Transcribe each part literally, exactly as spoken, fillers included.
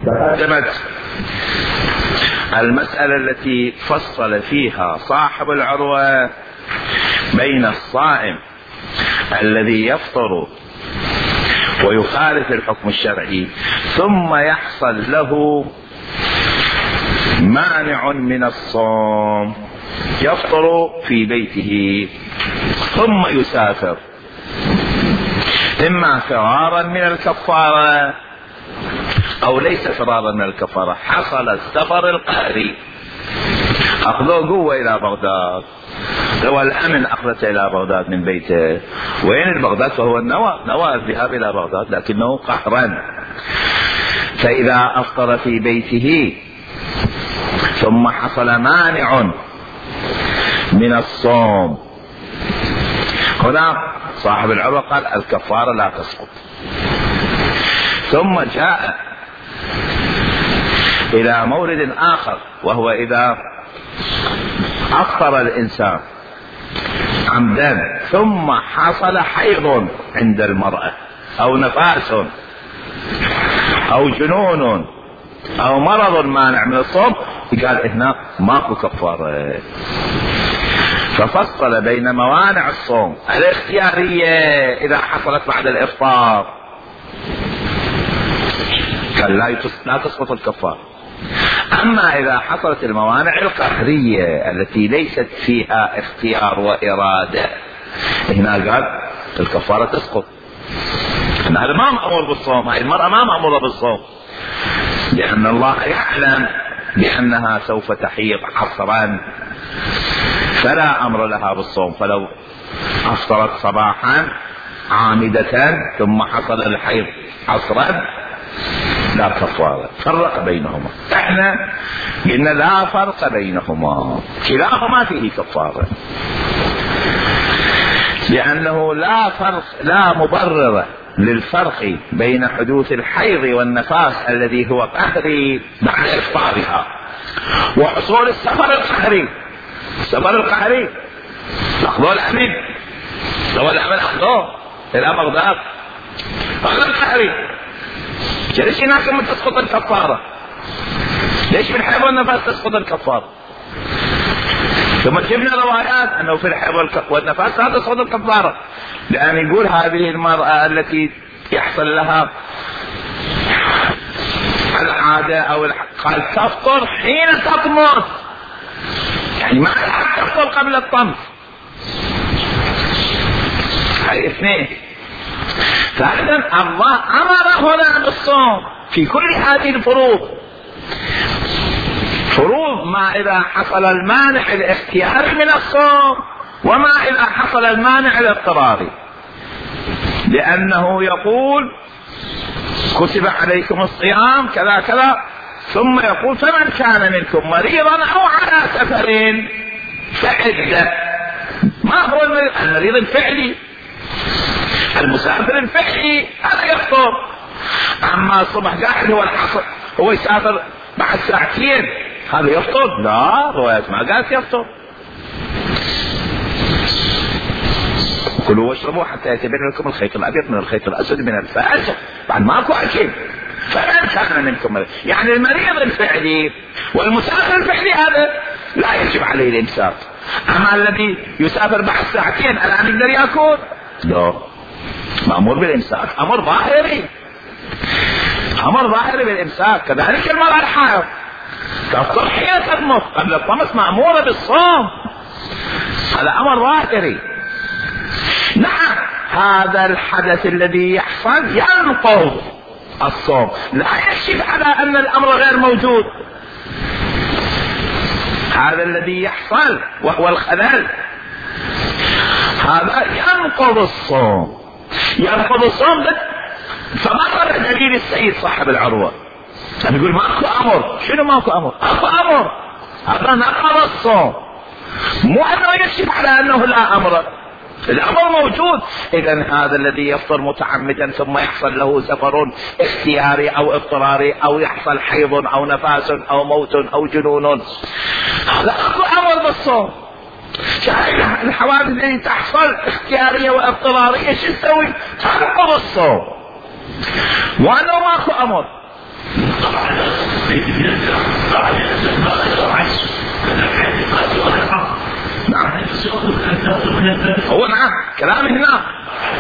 تقدمت المسألة التي فصل فيها صاحب العروة بين الصائم الذي يفطر ويخالف الحكم الشرعي ثم يحصل له مانع من الصوم، يفطر في بيته ثم يسافر، إما فرارا من الكفارة أو ليس فرارا من الكفارة، حصل السفر القهري، أخذوه قوة إلى بغداد، هو الأمن أخذته إلى بغداد من بيته. وين بغداد؟ فهو النوى نوى الذهاب إلى بغداد لكنه قهرا. فإذا أفطر في بيته ثم حصل مانع من الصوم، هنا صاحب العروة قال الكفارة لا تسقط. ثم جاء إلى مورد آخر، وهو إذا أفطر الإنسان عمدا ثم حصل حيض عند المرأة أو نفاس أو جنون أو مرض مانع من الصوم، قال هنا ماكو كفارة. ففصل بين موانع الصوم الاختيارية إذا حصلت بعد الإفطار قال لا تسقط الكفارة، أما إذا حصلت الموانع القهرية التي ليست فيها اختيار وإرادة هنا قال الكفارة تسقط. هذا ما مأمور بالصوم، هذه المرأة ما مأمورة بالصوم، لأن الله يعلم بأنها سوف تحيض عصرا فلا أمر لها بالصوم. فلو أفطرت صباحا عامدة ثم حصل الحيض عصرا لا كفارة. فرق بينهما، احنا قلنا لا فرق بينهما، كلاهما فيه كفارة، لأنه لا فرق لا مبرر للفرق بين حدوث الحيض والنفاس الذي هو قهري بعد إفطارها وحصول السفر القهري. السفر القهري أخذوه الأمن، لو الأمن أخذوه إلى بغداد أخذ القهري، ليش هناك من تسقط الكفارة؟ ليش في الحيض والنفاس تسقط الكفارة؟ ثم جبنا روايات أنه في الحيض والنفاس لا تسقط الكفارة، لأن يقول هذه المرأة التي يحصل لها العادة أو قال تفطر حين تطمس، يعني ما تفطر قبل الطمس. هاي اثنين. فإذا الله أمر هنا بالصوم في كل هذه الفروض، فروض ما إذا حصل المانع الاختياري من الصوم وما إذا حصل المانع الاضطراري، لأنه يقول كتب عليكم الصيام كذا كذا، ثم يقول فمن كان منكم مريضا أو على سفر فعدة. ما هو المريض؟ المريض الفعلي، المسافر الفعلي هذا يفطر. أما الصبح قاعد هو العصر هو يسافر بعد ساعتين هذا يفطر؟ لا، روايات ما قالت يفطر. كلوا واشربوا حتى يتبين لكم الخيط الأبيض من الخيط الأسود من الفجر، بعد ماكو أكل. فمن كان منكم مريض، يعني المريض الفعلي والمسافر الفعلي هذا لا يجب عليه الإمساك. أما الذي يسافر بعد ساعتين الآن يقدر يأكل؟ لا، مأمور بالإمساك، أمر ظاهري، أمر ظاهري بالإمساك. كذلك المرأة الحائض تفطر حين تطمس، قبل الطمس مأمورة بالصوم، هذا أمر ظاهري. نعم، هذا الحدث الذي يحصل ينقض الصوم، لا يكشف على أن الأمر غير موجود. هذا الذي يحصل وهو الخلل هذا ينقض الصوم، ينقض الصوم. فما دليل السيد صاحب العروة يقول ماكو أمر؟ شنو ماكو أمر؟ أكو أمر، هذا نقض الصوم، مو أنه يكشف على أنه لا أمر، الأمر موجود. إذن هذا الذي يفطر متعمدا ثم يحصل له سفر اختياري أو اضطراري أو يحصل حيض أو نفاس أو موت أو جنون، هذا أكو أمر بالصوم. الحوادث التي تحصل اختيارية واضطرارية شو تسوي؟ تنقض الصوم، وأنه ماكو أمر. نعم هو نعم كلام هنا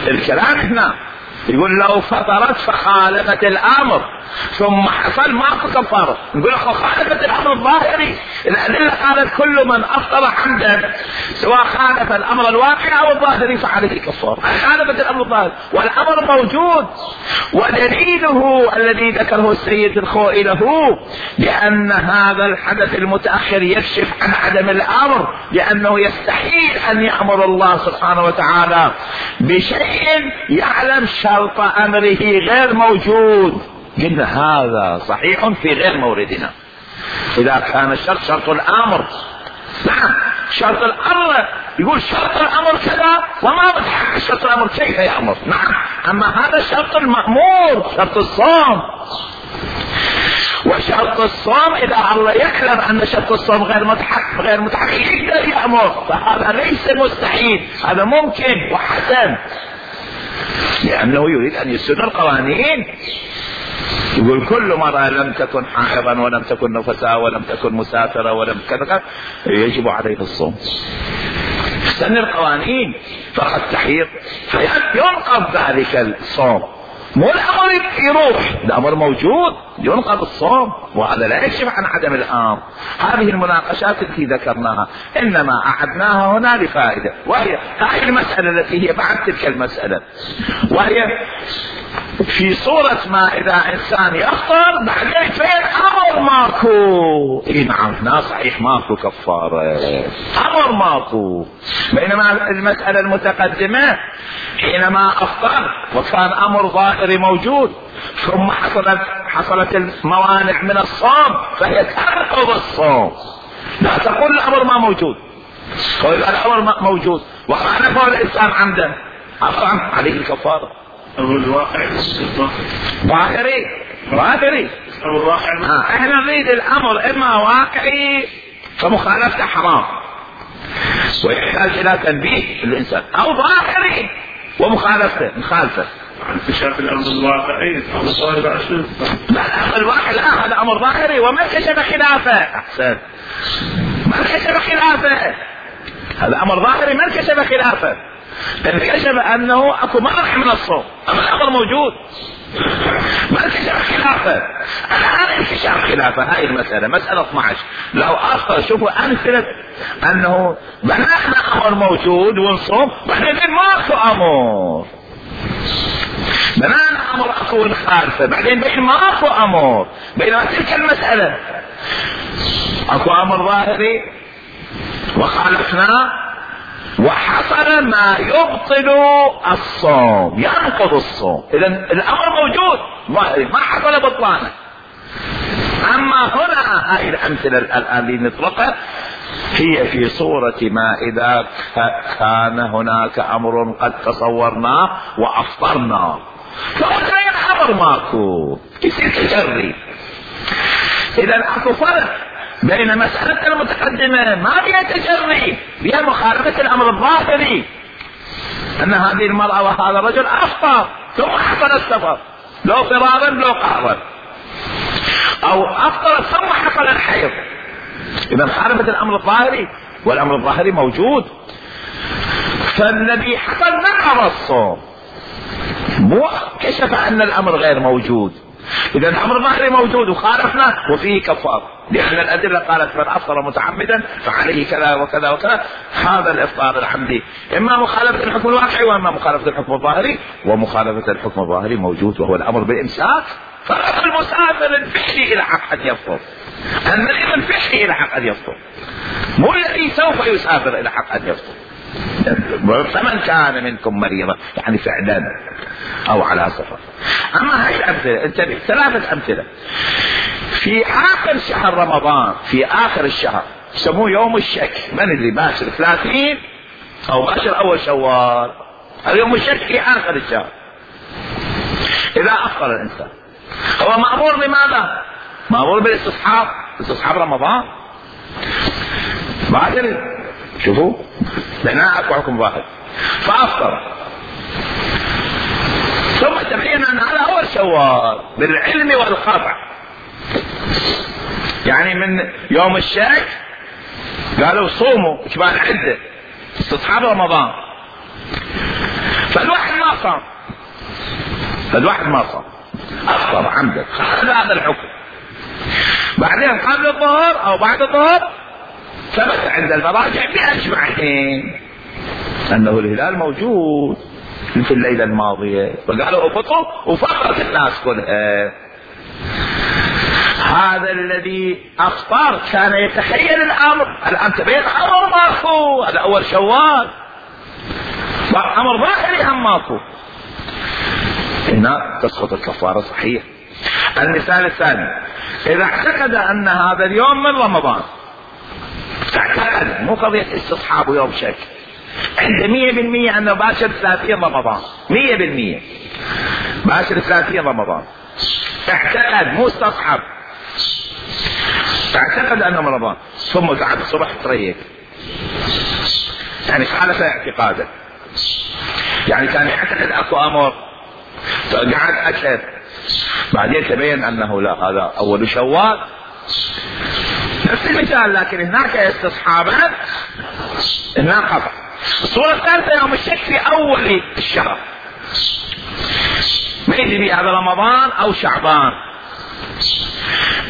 الكلام هنا يقول لو فطرت فخالفت الامر ثم حصل ماكو كفاره، نقول اخو خالفت الامر الظاهري، الادله قالت كل من افطر عمدا سواء خالف الامر الواقعي او الظاهري فعليه كفاره، خالفت الامر الظاهري والامر موجود. ودليله الذي ذكره السيد الخوئي له بان هذا الحدث المتاخر يكشف عن عدم الامر، لانه يستحيل ان يامر الله سبحانه وتعالى بشيء يعلم شرط امره غير موجود. قلنا هذا صحيح في غير موردنا اذا كان الشرط شرط الامر. نعم شرط الامر يقول شرط الامر كذا وما بتحقق شرط الامر كيف يامر. نعم اما هذا شرط المأمور شرط الصوم، وشرط الصوم اذا الله يعلم ان شرط الصوم غير متحقق غير متحقق يقدر يامر، فهذا ليس مستحيل، هذا ممكن وحسن، لانه يريد ان يسد القوانين. يقول كل مرة لم تكن حائضا ولم تكن نفساء ولم تكن مسافرة ولم كذا يجب عليه الصوم. سن القوانين فقد تحيض ينقض ذلك الصوم، مو الامر يروح، الامر موجود ينقض الصوم، وهذا لا يكشف عن عدم الامر. هذه المناقشات التي ذكرناها انما اعدناها هنا لفائده، وهي هذه المساله التي هي بعد تلك المساله، وهي في صورة ما اذا انسان يفطر بعدين فين امر ماكو. اي نعم هنا صحيح ماكو كفارة، امر ماكو. بينما المسألة المتقدمة حينما افطر وكان امر ظاهري موجود ثم حصلت حصلت الموانع من الصوم فهي تنقض الصوم، لا تقول الامر ما موجود. واذا الامر موجود وخالفه الانسان عمدا عفوا عليه الكفارة. الواقع ظاهري ظاهري آه. احنا نريد الامر اما واقعي فمخالفته حرام ويحتاج الى تنبيه الانسان، او ظاهري ومخالفته مخالفه. انكشاف الامر الواقعي الامر الظاهري بعد شنو؟ لا الامر الواقعي لا هذا امر ظاهري وما انكشف خلافه. احسن ما انكشف خلافه، هذا امر ظاهري ما انكشف خلافه، انكشف انه اكو منع من الصوم، اما الامر موجود ما انكشف خلافه. الان انكشاف خلافه هاي المساله مساله اثني عشر. لو اخر شوفوا امثله انه بنانا امر موجود ونصوم بعدين ماكو امر، بنانا امر اكو نخالفه بعدين بين ماكو امر. بينما تلك المساله اكو امر ظاهري وخالفناه وحصل ما يبطل الصوم ينقض الصوم، اذا الامر موجود ظاهري ما حصل بطلانه. اما هنا هاي الامثله الان اللي نطلقها هي في صورة ما اذا كان هناك امر قد تصورناه وافطرنا فغير امر ماكو يصير تجري. اذا اكو فرق بين مسألة المتقدمة ما فيها تجري، فيها مخالفة الامر الظاهري ان هذه المرأة وهذا الرجل افطر ثم حصل السفر لو فرارا لو قهرا، او افطر ثم حصل الحيض، اذا خالفت الامر الظاهري والامر الظاهري موجود. فالذي حصل نقض الصوم مو كشف ان الامر غير موجود، اذا الامر الظاهري موجود وخالفنا وفيه كفار، لان الادله قالت من افطر متعمدا فعليه كذا وكذا وكذا. هذا الافطار الحمدي اما مخالفه الحكم الواقعي واما مخالفه الحكم الظاهري، ومخالفه الحكم الظاهري موجود وهو الامر بالامساك. فالمسافر الفعلي الى حق ان يفطر، المريض الفعلي الى حق ان يفطر، مو الذي سوف يسافر الى حق ان يفطر. فمن كان منكم مريضا يعني فعلا او على سفر. اما هاي الامثله انتبه ثلاثه امثله في اخر شهر رمضان، في اخر الشهر يسموه يوم الشك، من اللي باشر ثلاثين او باشر اول شوال، اليوم الشك في اخر الشهر. اذا افطر الانسان هو مأمور بماذا؟ مأمور بالاستصحاب، استصحاب رمضان. بعد شوفوا لنا اكو حكم واحد فافطر ثم تبين ان هذا اول شوال بالعلم والقطع يعني من يوم الشك قالوا صوموا اجبال عدة استصحاب رمضان، فالواحد ما صام، فالواحد ما صام افطر عمدا هذا الحكم. بعدين قبل الظهر او بعد الظهر ثبت عند المراجع باجمعين انه الهلال موجود في الليله الماضيه، فقالوا افطروا وفطرت الناس كلها. هذا الذي افطر كان يتخيل الامر، الان تبين امر ماكو، هذا اول شوال، امر ظاهري هم ماكو، هنا تسقط الكفاره صحيح. المثال الثاني، اذا اعتقد ان هذا اليوم من رمضان، اعتقد مو قضيه استصحاب يوم شك، عنده مية بالمية انه باشر ثلاثين رمضان، مية بالمية باشر ثلاثين رمضان، اعتقد مو استصحب، اعتقد انه من رمضان، ثم قعد الصبح تريق، يعني خالف اعتقاده، يعني كان يعتقد اكو امر فقعد اكل، بعدين تبين انه لا هذا اول شوال، نفس المثال، لكن هناك استصحابا هناك خطأ. الصورة الثالثة يوم الشك في اول الشهر، ما يدري هذا رمضان او شعبان،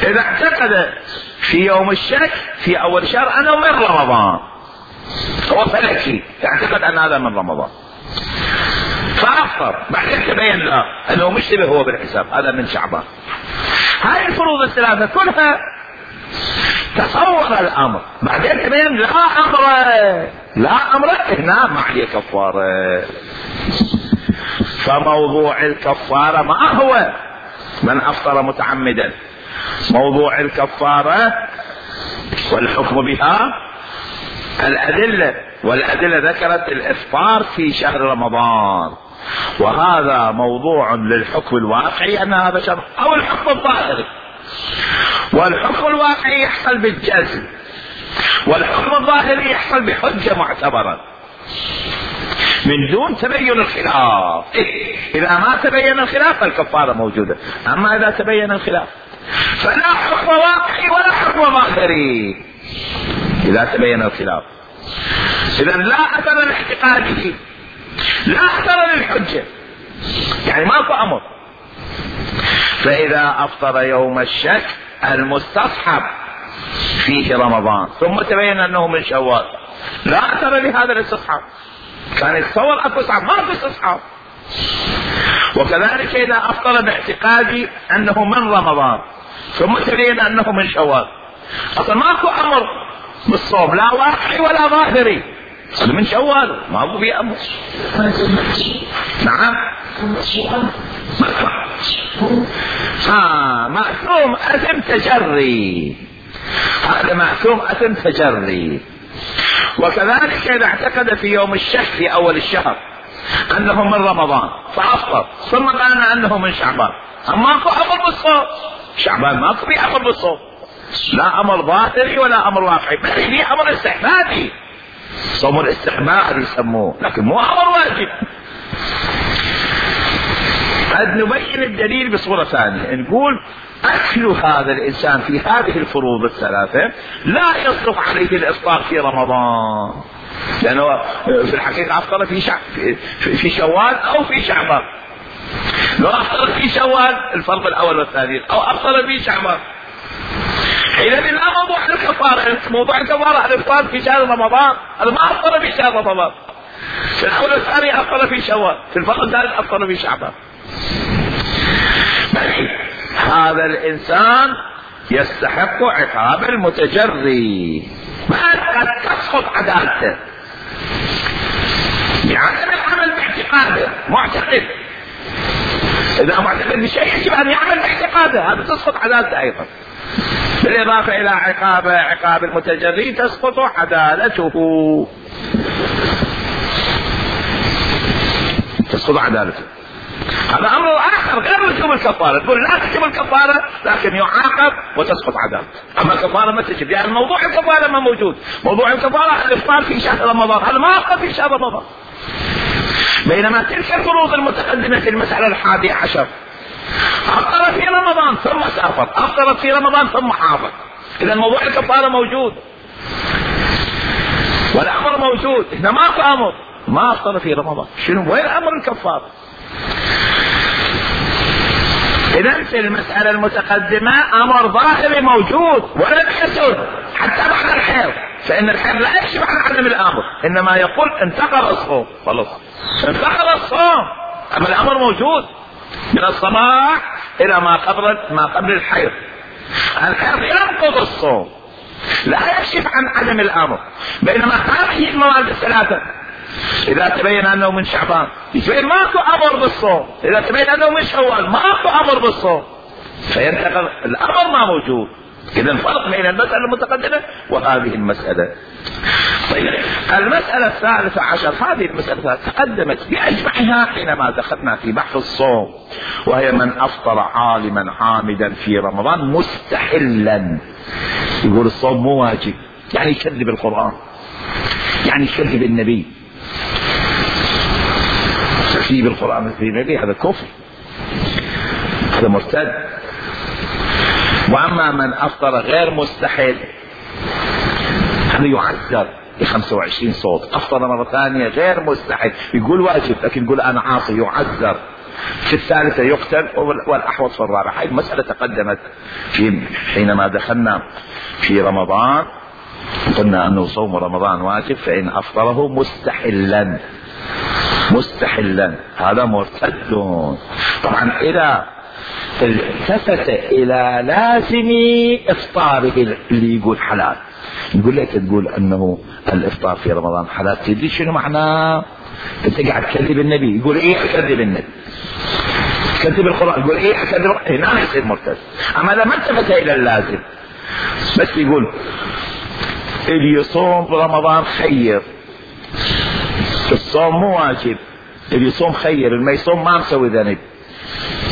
اذا اعتقد في يوم الشك في اول شهر انه من رمضان، هو فلكي يعتقد ان هذا من رمضان فافطر، بعدين تبين له انه مشتبه هو بالحساب هذا من شعبان. هاي الفروض الثلاثة كلها تصور الامر، بعدين تبين لا امر لا امر هنا ما عليه كفارة. فموضوع الكفارة ما هو من افطر متعمدا، موضوع الكفارة والحكم بها الادلة، والادلة ذكرت الافطار في شهر رمضان، وهذا موضوع للحكم الواقعي ان هذا شهر، او الحكم الظاهري، والحكم الواقعي يحصل بالجزم، والحكم الظاهري يحصل بحجة معتبرة من دون تبين الخلاف. اذا ما تبين الخلاف فالكفارة موجودة، اما اذا تبين الخلاف فلا حكم واقعي ولا حكم ظاهري اذا تبين الخلاف. اذا لا اثر لاعتقاده، لا اثر للحجة، يعني ماكو امر. فاذا افطر يوم الشك المستصحب فيه رمضان ثم تبين انه من شوال، لا اثر لهذا الاستصحاب، كان يتصور اكو استصحاب، ما في استصحاب. وكذلك اذا افطر باعتقادي انه من رمضان ثم تبين انه من شوال، اصلا ماكو امر بالصوم لا واقعي ولا ظاهري، من شوال ماكو في امر. نعم ها معصوم اثم تجري، هذا معصوم اثم تجري. وكذلك اذا اعتقد في يوم الشك في اول الشهر انه من رمضان فافطر ثم بان انه من شعبان، اما ماكو امر بالصوم، شعبان ماكو في امر بالصوم، لا امر ظاهري ولا امر واقعي، بل في امر استحبابي، صوم الاستحباب يسموه، لكن مو امر واجب. قد نبين الدليل بصورة ثانية، نقول أكل هذا الإنسان في هذه الفروض الثلاثة لا يصدق عليه الإفطار في رمضان، لأنه في الحقيقة أفطر في, شع... في شوال أو في شعبان. لو أفطر في شوال الفرق الأول والثاني، أو أفطر في شعبان، حينئذ لا موضوع الكفارة، موضوع الكفارة الإفطار في شهر رمضان، هذا ما أفطر في شهر رمضان. في الأول الثاني أفطر في شوال، في الفرق الثالث أفطر في شعبان. هذا الإنسان يستحق عقاب المتجري، قد تسقط عدالته، يعمل العمل باعتقاده، معتقد، إذا معتقد بشيء يجب أن يعمل باعتقاده، هذا تسقط عدالته أيضا. بالإضافة إلى عقاب عقاب المتجري تسقط عدالته، تسقط عدالته. هذا امر اخر غير وجوب الكفاره، تقول لا تجب الكفاره لكن يعاقب وتسقط عدالته، اما الكفاره ما تجب، يعني موضوع الكفاره ما موجود، موضوع الكفاره الافطار في شهر رمضان، هذا ما افطر في شهر رمضان. بينما تلك الفروض المتقدمه في المساله الحادية عشر افطر في رمضان ثم سافر، افطر في رمضان ثم حافظ، إذا موضوع الكفارة موجود والأمر موجود. إحنا ماكو أمر ما أفطر في رمضان، شنو وين أمر الكفارة؟ إذا في المسألة المتقدمة أمر ظاهري موجود ولا تحسن حتى بعد الحيض، فإن الحيض لا يكشف عن عدم الأمر، إنما يقول انتقل الصوم، خلاص انتقل الصوم، أما الأمر موجود من الصباح إلى ما قبل ما قبل الحيض. الحيض ينقض الصوم لا يكشف عن عدم الأمر، بينما هذه المواد الثلاثة إذا تبين أنه من شعبان يصير ماكو أمر بالصوم، إذا تبين أنه من شوال ماكو أمر بالصوم، فينتقل الأمر ما موجود. إذا الفرق بين المسألة المتقدمة وهذه المسألة. طيب المسألة الثالثة عشر، هذه المسألة تقدمت بأجمعها حينما دخلنا في بحث الصوم، وهي من أفطر عالما عامدا في رمضان مستحلا. يقول الصوم مو واجب، يعني يكذب القرآن، يعني يكذب النبي. تكذيب القرآن في النبي هذا كفر، هذا مرتد. وأما من أفطر غير مستحل هذا يعذر بخمسة وعشرين صوت. أفطر مرة ثانية غير مستحل يقول واجب لكن يقول أنا عاصي، يعذر. في الثالثة يقتل، والأحوط في الرابعة. هذه المسألة تقدمت في حينما دخلنا في رمضان، قلنا أنه صوم رمضان واجب، فإن أفطره مستحلا مستحلا هذا مرتد. طبعا إذا التفت إلى لازم إفطاره اللي يقول حلال، يقول لك تقول أنه الإفطار في رمضان حلال، تدري شنو معناه؟ أنت قاعد تكذب النبي. يقول إيه أكذب النبي، تكذب القرآن، يقول إيه أكذب، هنا يصير مرتد. أما إذا ما التفت إلى اللازم بس يقول اللي يصوم رمضان خير، الصوم مو واجب، اللي يصوم خير، اللي ما يصوم ما مسوي ذنب،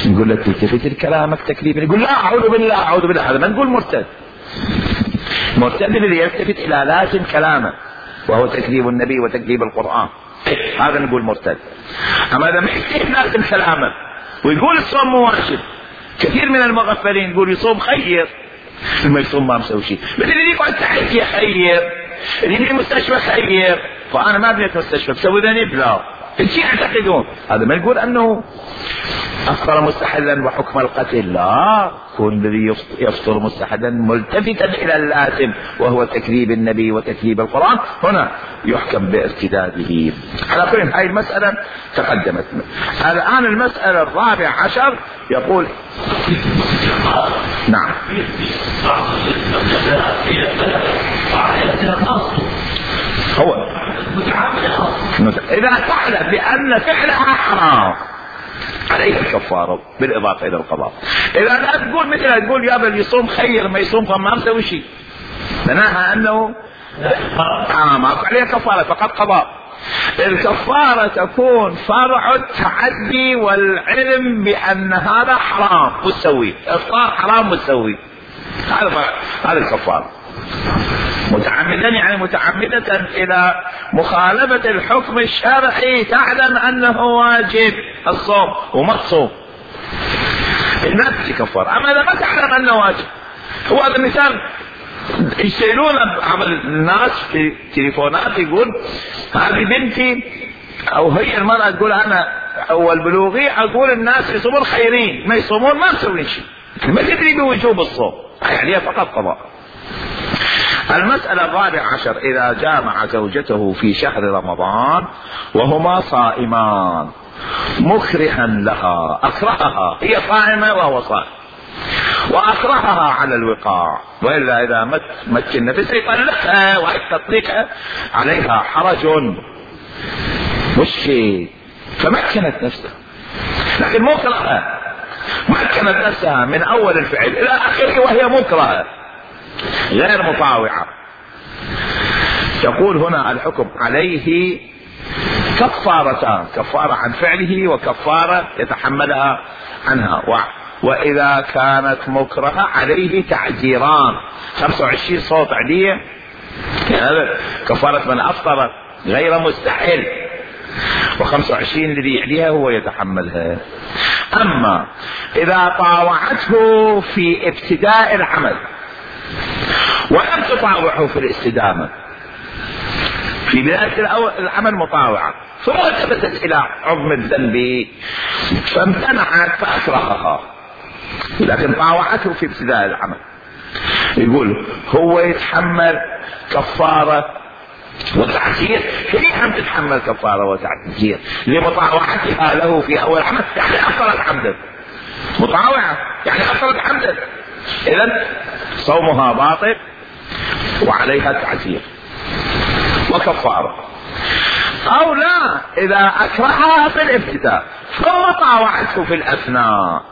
نقول لك تلتفت لكلامك تكذيبا. يقول لا أعوذ بالله أعوذ بالله، هذا ما نقول مرتد. مرتد الذي يلتفت إلى لازم كلامه وهو تكذيب النبي وتكذيب القرآن، هذا نقول مرتد. أما إذا ما يكذب لازم كلامه ويقول الصوم مو واجب، كثير من المغفلين يقول يصوم خير، ما يصوم ما مسوي شيء، مثل اللي يقعد تحكي خير، اللي في المستشفى خير، فأنا ما بنيت مستشفى بسوي ذنب، لا شيء يعتقدون. هذا ما يقول أنه أفطر مستحلا وحكم القتل، لا، كون الذي يفطر مستحلا ملتفتا إلى اللازم وهو تكذيب النبي وتكذيب القرآن، هنا يحكم بارتداده. على كل هذه المسألة تقدمت. الآن المسألة الرابع عشر يقول نعم هو إذا تعلم بأن فعلها حرام عليه الكفارة بالإضافة إلى القضاء. إذا لا تقول مثل تقول يا بل يصوم خير ما يصوم فما مسوي شيء، معناها أنه آه ما عليه كفارة فقط قضاء. الكفارة تكون فرع التعدي والعلم بأن هذا حرام مستوي، إفطار حرام مستوي، هذا هذا الكفارة. متعمدا يعني متعمدة إلى مخالفة الحكم الشرعي، تعلم أنه واجب الصوم وما تصوم، الناس تكفر. أما إذا ما تعلم أنه واجب، هو هذا المثال يشيلون بعض الناس في تليفونات يقول هذه بنتي أو هي المرأة تقول أنا أول بلوغي أقول الناس يصومون خيرين، ما يصومون ما مسوين شيء، ما تدري بوجوب الصوم، يعني فقط قضاء. المسألة الرابعة عشر إذا جامع زوجته في شهر رمضان وهما صائمان مكرها لها، أكرهها، هي صائمة وهو صائم وأكرهها على الوقاع، وإلا إذا مت مكن نفسها يطلقها ويطلقها عليها حرج مشكل، فمكنت نفسها لكن مكرهة، مكنت نفسها من أول الفعل إلى آخره وهي مكرهة غير مطاوعة. يقول هنا الحكم عليه كفارتان، كفارة عن فعله وكفارة يتحملها عنها. وإذا كانت مكرهة عليه تعجيران، خمسة وعشرين صوت عادية، هذا كفارة من أفطر غير مستحل، وخمسة وعشرين الذي يعليها هو يتحملها. أما إذا طاوعته في ابتداء العمل ولم تطاوعه في الاستدامة، في بداية العمل مطاوعة، ثم التفتت إلى عظم الذنب فامتنعت فأكرهها، لكن طاوعته في ابتداء العمل. يقول هو يتحمل كفارة وتعزير، هي هم تتحمل كفارة وتعزير لمطاوعتها له في أول عمل، يعني أفضلت حمدا، مطاوعة يعني أفضلت حمدا، إذن صومها باطل وعليها تعزير وكفارة. أو لا، إذا أكرهها في الابتداء ثم طاوعته في الأثناء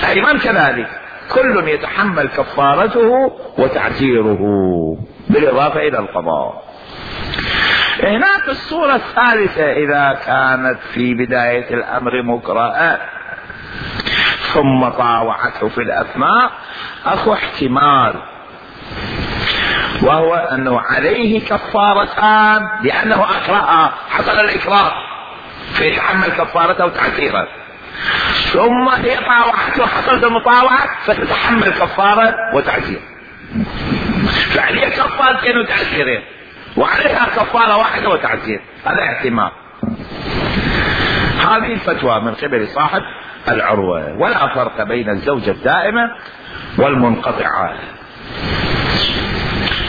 أيضا كذلك، كل يتحمل كفارته وتعزيره بالإضافة إلى القضاء. هناك الصورة الثالثة، إذا كانت في بداية الأمر مكرهة ثم طاوعته في الأثناء، أخو احتمال، وهو أنه عليه كفارتان لأنه أكرهها، حصل الإكراه فيتحمل كفارته وتعزيره، ثم هي طاوعته حصلت المطاوعة فتتحمل كفارة وتعزير، فعليها كفارتين وتعزيرين وعليها كفارة واحدة وتعزير، هذا احتمال. هذه الفتوى من قبل صاحب العروة. ولا فرق بين الزوجة الدائمة والمنقطعة.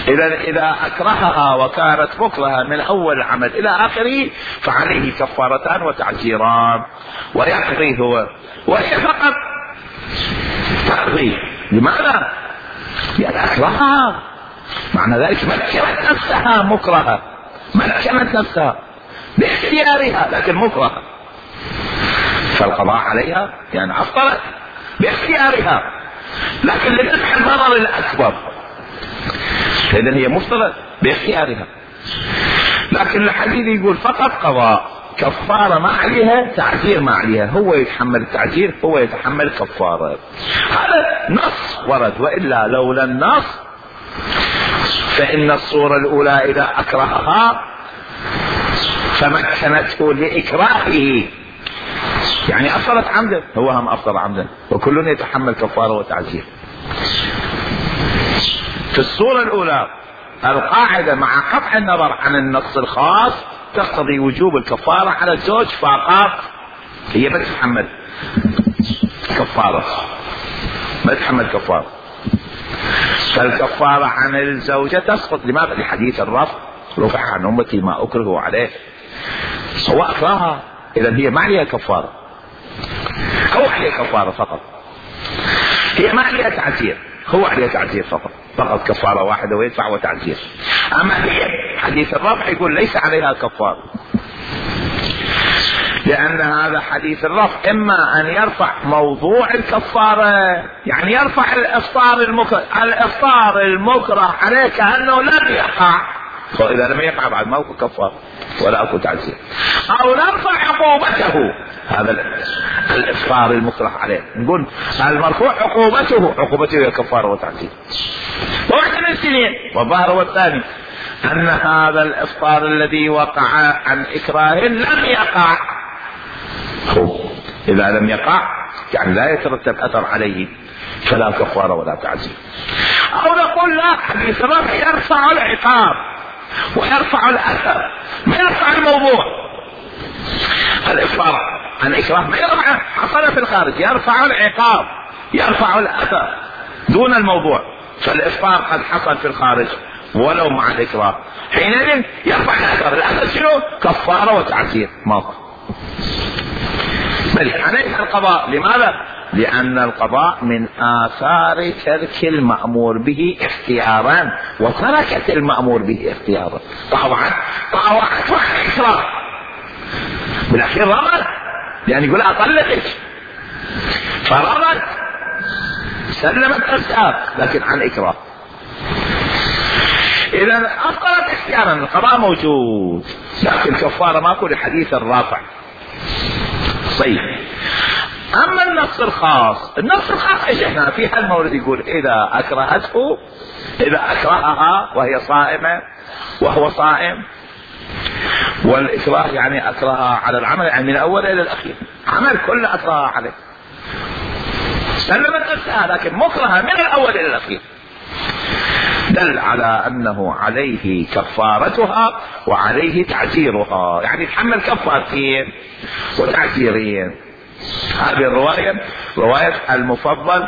إذا إذا أكرهها وكانت مكرهة من أول العمل إلى آخره فعليه كفارتان وتعزيران ويقضي هو، وهي فقط تقضي. لماذا؟ لأن أكرهها، معنى ذلك مكنت نفسها مكرهة، مكنت نفسها باختيارها لكن مكرهة، فالقضاء عليها يعني أفضلت باختيارها لكن لدفع الضرر الأكبر، إذن هي مفترض باختيارها. لكن الحديث يقول فقط قضاء، كفارة ما عليها، تعزير ما عليها، هو يتحمل التعزير هو يتحمل كفارة. هذا نص ورد، وإلا لولا النص فإن الصورة الأولى إذا أكرهها فمكنته لإكراهه يعني أفضلت عمدا، هو هم أفضل عمدا، وكل يتحمل كفارة وتعزير. في الصورة الأولى القاعدة مع قطع النظر عن النص الخاص تقتضي وجوب الكفارة على الزوج فقط، هي ما تتحمل كفارة، ما تتحمل كفارة، فالكفارة عن الزوجة تسقط. لماذا؟ لحديث الرفع، رفع عن أمتي ما أكره عليه، سواء أكرهها إذا هي ما عليها كفارة أو عليها كفارة فقط، هي ما عليها تعزير، هو عليها تعزير فقط، فقط كفارة واحدة ويدفع وتعزير. أما هي حديث الرفع يقول ليس عليها كفارة، لأن هذا حديث الرفع إما أن يرفع موضوع الكفارة، يعني يرفع الإفطار المكره، الإفطار المكره عليه كأنه لم يقع، فإذا لم يقع بعد ما هو كفارة ولا أكو تعزير، أو نرفع عقوبته، هذا الإفطار المكره عليه نقول المرفوع عقوبته، عقوبته هي كفارة وتعزير. وواحد من السنين والظاهر والثاني أن هذا الإفطار الذي وقع عن إكراه لم يقع، إذا لم يقع يعني لا يترتب أثر عليه فلا كفارة ولا تعزير. أو نقول لا، حديث الرفع يرفع العقاب ويرفع الأثر، ما يرفع الموضوع. الإفطار عن إكراه ما يرفع، حصل في الخارج، يرفع العقاب يرفع الأثر دون الموضوع، فالإفطار قد حصل في الخارج ولو مع الإكراه، حينئذ يرفع الأثر. الأثر شنو؟ كفارة وتعزير موقع. بل عليه القضاء. لماذا؟ لأن القضاء من آثار ترك المأمور به اختيارا، وتركت المأمور به اختيارا، طاوعت طاوعت وعن إكراه، بالأخير رمت، يعني يقول أطلقك فرمت سلمت نفسها لكن عن إكراه. إذا أفضلت اختيارا، القضاء موجود لكن كفارة ماكو لحديث الرافع. طيب، أما النص الخاص، النص الخاص ايش احنا في هالمورد يقول إذا أكرهته، إذا أكرهها وهي صائمة وهو صائم، والإكراه يعني أكرهها على العمل، يعني من الأول إلى الأخير عمل كله أكرهها عليه، سلمت نفسها لكن مكرهة من الأول إلى الأخير. دل على أنه عليه كفارتها وعليه تعزيرها، يعني يتحمل كفارتين وتعزيرين. هذه الرواية رواية المفضل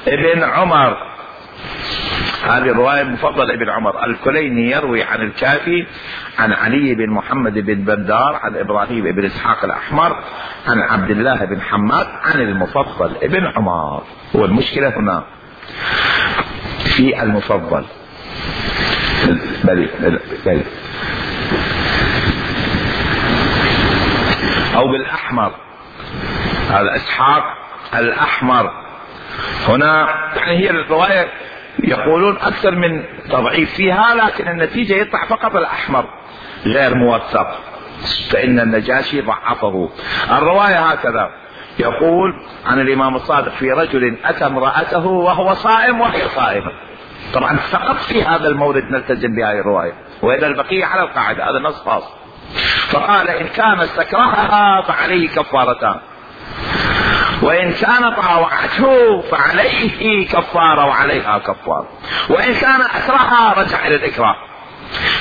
ابن عمر، هذه الرواية المفضل ابن عمر. الكليني يروي عن الكافي عن علي بن محمد بن بندار عن إبراهيم بن إسحاق الأحمر عن عبد الله بن حماد عن المفضل ابن عمر. والمشكلة هنا في المفضل بلي بلي أو بالأحمر، هذا إسحاق الأحمر. هنا يعني هي الرواية يقولون أكثر من تضعيف فيها، لكن النتيجة يطلع فقط الأحمر غير موثق، فإن النجاشي ضعفه. الرواية هكذا يقول عن الإمام الصادق في رجل أتى امرأته وهو صائم وهي صائمة. طبعا فقط في هذا المورد نلتزم بهذه الرواية، وإذا البقية على القاعدة، هذا نص خاص. فقال إن كان استكرهها فعليه كفارتان، وإن كان طاوعته فعليه كفارة وعليها كفارة، وإن كان أكرهها رجع إلى الإكراه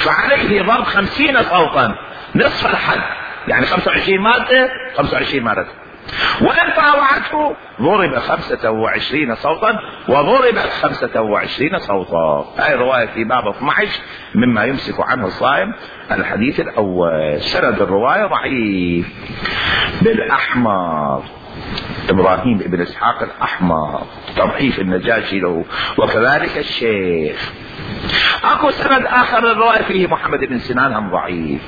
فعليه ضرب خمسين صوتا نصف الحد، يعني خمسة وعشرين مادة خمسة وعشرين مادة، وإن طاوعته ضرب خمسة وعشرين صوتا وضرب خمسة وعشرين صوتا. هذه رواية في باب اثني عشر مما يمسك عنه الصائم. الحديث الأول سند الرواية ضعيف بالأحمر، إبراهيم بن إسحاق الأحمر تضعيف النجاشي له، وكذلك الشيخ. اكو سند اخر الرواية فيه محمد بن سنان هم ضعيف،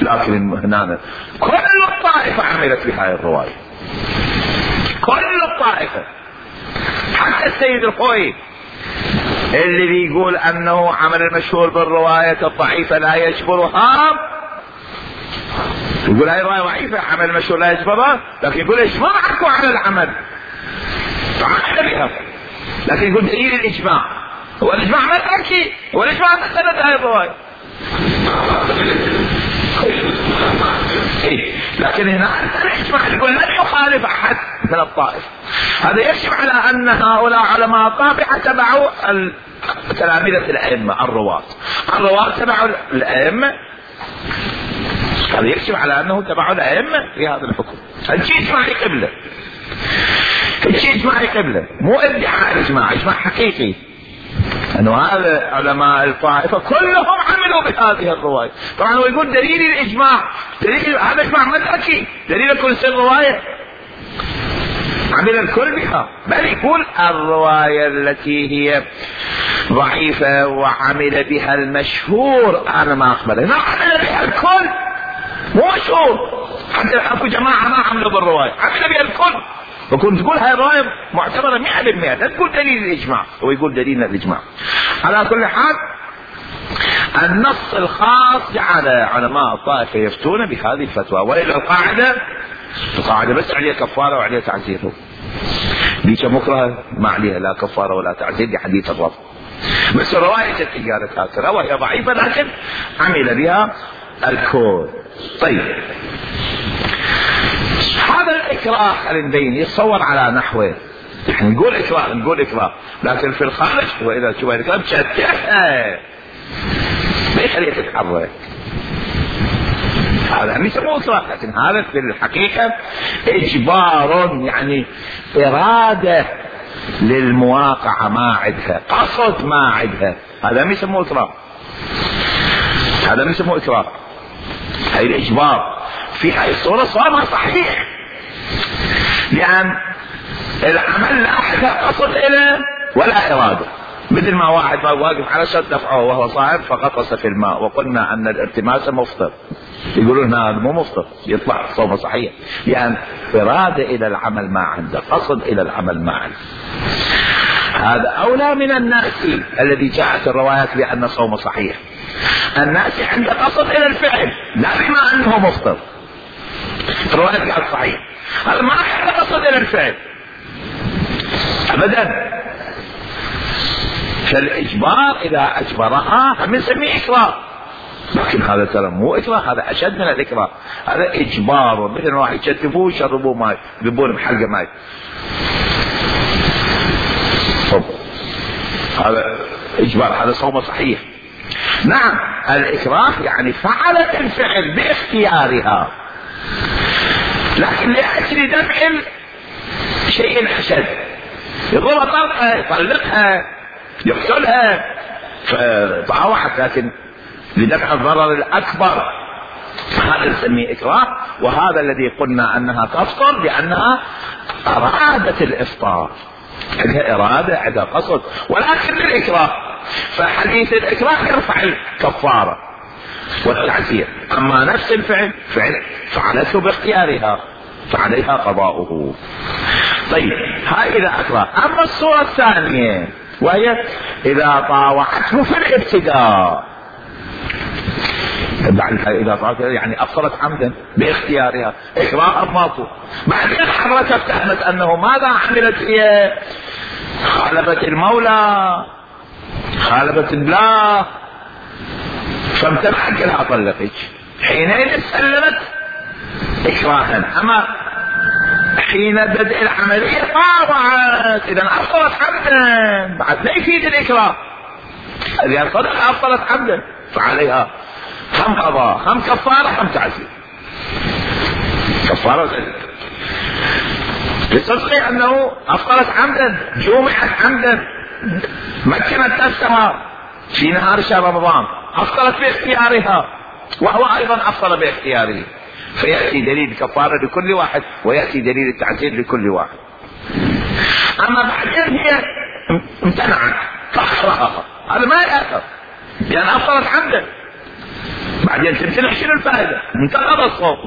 لكن هنا كل الطائفة عملت بهذه الرواية، كل الطائفة، حتى السيد الخوي اللي بيقول انه عمل المشهور بالرواية الضعيفة لا يجبرها، يقول هاي رواية ضعيفة عمل المشهور لا يجبرها، لكن يقول اجماع اكو على العمل فعمل بها، لكن يقول دليل الاجماع. هو الاجماع ما تحكي، هو الاجماع ما سند هاي الرواية. إيه؟ لكن هنا الاجماع يقول لا يخالف احد من الطائف. هذا يشمل على ان هؤلاء علماء الطابعة تبعوا تلامذة الائمة الرواة، الرواة تبعوا الائمة، هذا يكشف على انه تبع الائمه في هذا الحكم. الشيء اجماعي قبله، الشيء اجماعي قبله، مو ادعاء اجماع، اجماع حقيقي انه هذا علماء الطائفه كلهم عملوا بهذه الروايه. طبعا هو يقول دليل الاجماع، دليل هذا اجماع ما تحكي، دليل كل سن روايه عمل الكل بها، بل يقول الروايه التي هي ضعيفه وعمل بها المشهور انا ما اقبلها، ما عمل بها الكل، مو مشهور، حتى اكو جماعه ما عملوا بالروايه، عمل بها الكل. وكنت تقول هاي الروايه معتبره مئة بالمئة، لا تقول دليل الاجماع، هو يقول دليل الاجماع. على كل حال النص الخاص جعل علماء الطائفه يفتون بهذه الفتوى، والى القاعده القاعده بس عليها كفاره وعليها تعزير. ديك مكره ما عليها لا كفاره ولا تعزير، دي حديث الرفض، بس الروايه قالت هكذا وهي ضعيفه لكن عمل بها الكل. طيب هذا الإكراه خلينا نبين يتصور على نحوه، يعني نقول إكراه نقول إكراه، لكن في الخارج وإذا تشوف الإكراه تشتتها ما يخليه تتحرك، هذا مش مو إكراه، لكن هذا في الحقيقة إجبار، يعني إرادة للمواقعة ما عندها، قصد ما عندها، هذا مش مو إكراه، هذا مش مو إكراه. هاي الإجبار في هاي الصورة صار صحيح، لأن العمل لا أحد قصد إليه ولا إرادة، مثل ما واحد واقف على شط دفعه وهو صائم فغطس في الماء، وقلنا أن الارتماس مفطر، يقولون هذا مو مفطر، يطلع صومه صحيح، لأن إرادة إلى العمل ما عنده، قصد إلى العمل ما عنده. هذا أولى من الناس الذي جاءت الروايات بأن صومه صحيح، الناس عنده قصد إلى الفعل لا بما أنه مفطر، الروايات قالت صحيح، هذا ما عنده قصد إلى الفعل أبدا. فالإجبار إذا أجبرها هم نسميه إكراه، لكن هذا ترى مو إكراه، هذا أشد من الإكراه، هذا إجبار، مثل واحد يشتفوه يشربوه ماي، يذبون بحلقة ماي، هذا إجبار، هذا صوم صحيح. نعم الإكراه يعني فعلت الفعل باختيارها، لكن لأجل دفع شيء أشد، يضرب طلقة، يطلقها، يقتلها، فطاوعت، لكن لدفع الضرر الأكبر، هذا نسميه إكراه. وهذا الذي قلنا أنها تفطر لأنها أرادت الإفطار، عندها إرادة، عندها قصد، ولكن للإكراه. فحديث الإكراه يرفع الكفارة والتعزير. أما نفس الفعل فعل فعلته باختيارها فعليها قضاؤه. طيب هاي إذا أكره. أما الصورة الثانية وهي إذا طاوعته في الابتداء، بعد إذا طاوعته يعني أفطرت عمدا باختيارها، إكراه ماكو، بعدين حضرتها افتهمت أنه ماذا عملت هي؟ خالفت المولى، خالفت الله، فامتنعت لها طلقك، حينئذ سلمت إكراها. أما حين بدء العملية طاوعت، إذا أفطرت عمدا، بعد لا يفيد الإكراه، إذا صدق أفطرت عمدا فعليها هم قضاء، هم كفارة، هم تعزير. كفارة لصدق أنه أفطرت عمدا، جمعت عمدا، مكنت نفسها في نهار شهر رمضان، أفطرت باختيارها، وهو أيضا أفطر باختياره، فيأتي دليل الكفارة لكل واحد، ويأتي دليل التعزير لكل واحد. أما بعدين هي امتنعت فأخرها، هذا ما يأثر لأن أفطرت عمدا، بعدين تمتنع، شنو الفائدة؟ انتقض الصوم.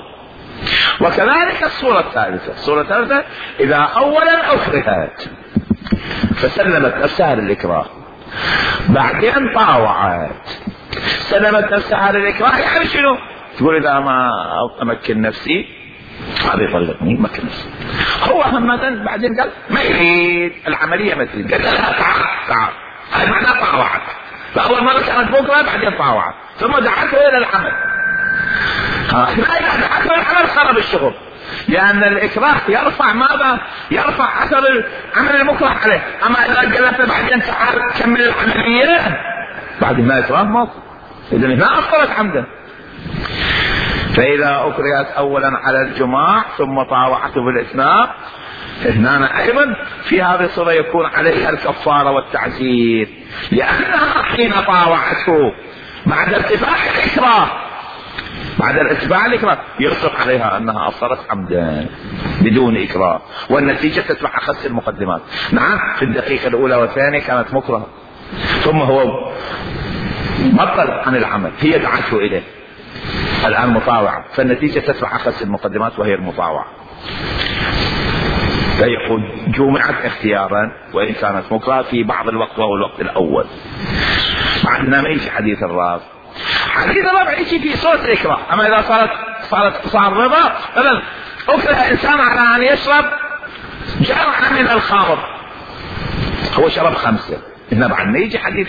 وكذلك الصورة الثالثة، الصورة الثالثة إذا أولا أكرهت فسلمت نفسها للإكراه، بعدين طاوعت، سلمت نفسها للإكراه، يعني شنو؟ تقول إذا ما أمكن نفسي هذا يطلقني، مكن نفسي. هو همدا بعدين قال ما يريد العملية، ما تريد، قال لها تعال تعال، هذا معناه طاوعت. فأول مرة كانت بكرة، بعدين طاوعت، ثم دعته إلى العمل. لا دعته إلى العمل خرب الشغل، لأن الإكراه يرفع ماذا؟ يرفع أثر العمل المكره عليه. أما إذا قالت بعدين تعال كمل العملية، بعد ما إكراه ما، إذا هنا أفطرت عمدا. فإذا أكرهت أولا على الجماع ثم طاوعته بالإثناء، هنا أيضا في هذه الصورة يكون عليها الكفارة والتعزير، لأنها حين طاوعته بعد ارتفاع الإكراه، بعد ارتفاع الإكراه يصدق عليها أنها أفطرت عمدا بدون إكراه، والنتيجة تتبع أخس المقدمات. نعم في الدقيقة الأولى والثانية كانت مكرهة، ثم هو بطل عن العمل، هي دعته إليه، الآن مطاوعة، فالنتيجة تتبع أخس المقدمات وهي المطاوعة. فيقول جمعت اختيارا وإن كانت مكرهة في بعض الوقت وهو الوقت الأول. عندنا ما يجي حديث الرابع، حديث الرابع يجي في صورة الإكراه. أما إذا صارت صارت صار رضا، مثلا أكره إنسان على أن يشرب جرعة من الخمر، هو شرب خمسة، هنا بعد ما يجي حديث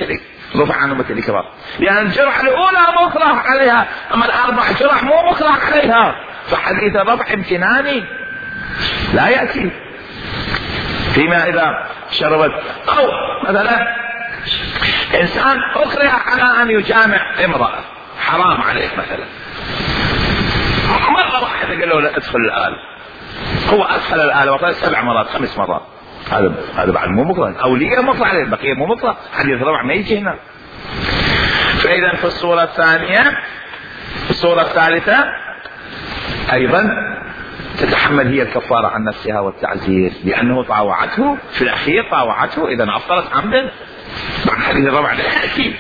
رفع عنه مثل الإكراه، لأن الجرعة الأولى مكره عليها، أما الأربع جرع مو مكره عليها، فحديث الرفع امتناني لا يأتي. فيما إذا شربت، أو مثلا إنسان أكره على أن يجامع امرأة، حرام عليه مثلا، مرة واحدة قال له ادخل الآلة، هو أدخل الآلة وقال سبع مرات خمس مرات، هذا هذا بعد مو مكره، أولية مكره عليه، البقية مو مكره، حديث الرابع ما يجي هنا. فإذا في الصورة الثانية، الصورة الثالثة أيضا تتحمل هي الكفارة عن نفسها والتعزير، لأنه طاوعته في الأخير، طاوعته إذا أفطرت عمدا، بعد حديث الرابع لا يأتي.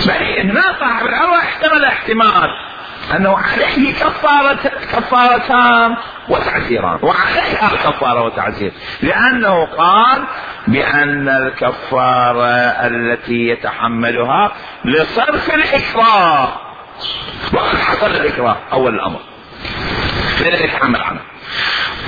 بل هنا صاحب العروة احتمل احتمال أنه عليه كفارة كفارتان وتعزيران، وعليها كفارة وتعزير، لأنه قال بأن الكفارة التي يتحملها لصرف الإكراه، وقد حصل الإكراه أول الأمر فلا يتحمل عنه،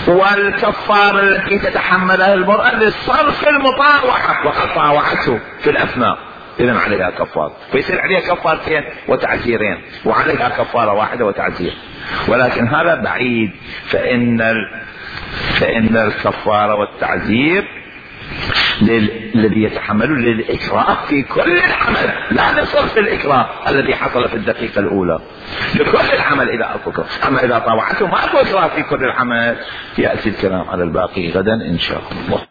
والكفارة التي تتحملها المرأة لصرف المطاوعة، وقد طاوعته في الأثناء، إذن عليها كفارة، فيصير عليها كفارتين وتعزيرين، وعليها كفارة واحدة وتعزير. ولكن هذا بعيد، فإن ال... فإن الكفارة والتعزير الذي يتحملون للإكراه في كل العمل، لا لصرف الإكراه الذي حصل في الدقيقة الأولى، لكل العمل إذا أكراه. أما إذا طاوعته ما أكو إكراه في كل العمل. يأتي الكلام على الباقي غدا إن شاء الله.